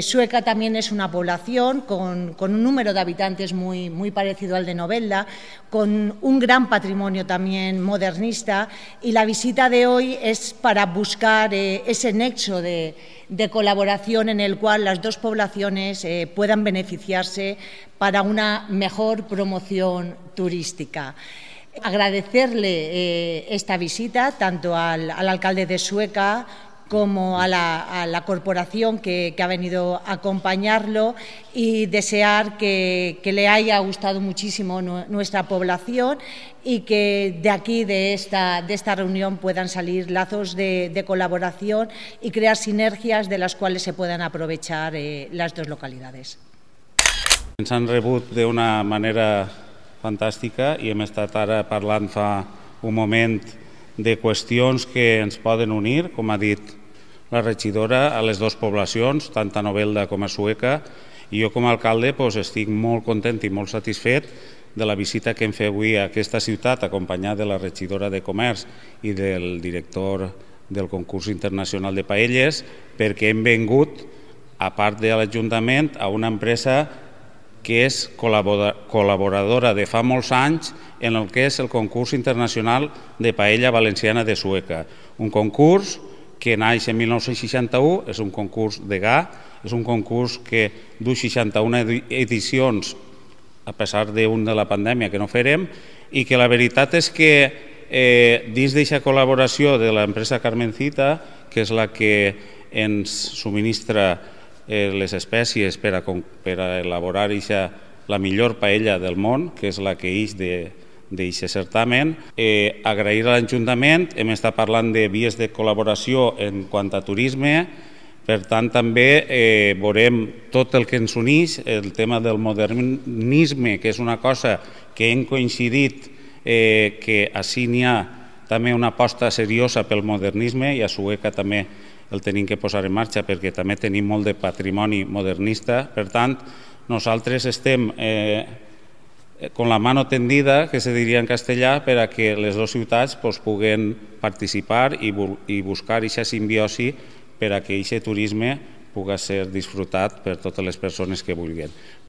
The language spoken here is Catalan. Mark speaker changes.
Speaker 1: Sueca también es una población con un número de habitantes muy parecido al de Novelda, con un gran patrimonio también modernista, y la visita de hoy es para buscar ese nexo de colaboración en el cual las dos poblaciones puedan beneficiarse para una mejor promoción turística. Agradecerle esta visita tanto al alcalde de Sueca como a la corporación que ha venido a acompañarlo, y desear que le haya gustado muchísimo nuestra población y que de aquí, de esta reunión, puedan salir lazos de colaboración y crear sinergias de las cuales se puedan aprovechar las dos localidades.
Speaker 2: Ens han rebut d'una manera fantàstica i hem estat ara parlant fa un moment de qüestions que ens poden unir, com ha dit la regidora, a les dues poblacions, tant a Novelda com a Sueca, i jo com a alcalde estic molt content i molt satisfet de la visita que hem fet avui a aquesta ciutat, acompanyat de la regidora de Comerç i del director del concurs internacional de paelles, perquè hem vingut, a part de l'Ajuntament, a una empresa que és col·laboradora de fa molts anys en el que és el concurs internacional de paella valenciana de Sueca. Un concurs que naix en 1961, és un concurs de GA, és un concurs que du 61 edicions, a pesar d'un de la pandèmia que no farem, i que la veritat és que dins d'aquesta col·laboració de l'empresa Carmencita, que és la que ens subministra les espècies per a elaborar la millor paella del món, que és la que ix d'aquest certamen. Agrair a l'Ajuntament, hem estat parlant de vies de col·laboració en quant a turisme, per tant també veurem tot el que ens uneix, el tema del modernisme, que és una cosa que hem coincidit que així n'hi ha també una aposta seriosa pel modernisme, i a Sueca també el tenim que posar en marxa perquè també tenim molt de patrimoni modernista. Per tant, nosaltres estem con la mano tendida, que se diria en castellà, per a que les dues ciutats puguen participar i buscar aquesta simbiosi per a que aquest turisme pugui ser disfrutat per totes les persones que vulguin.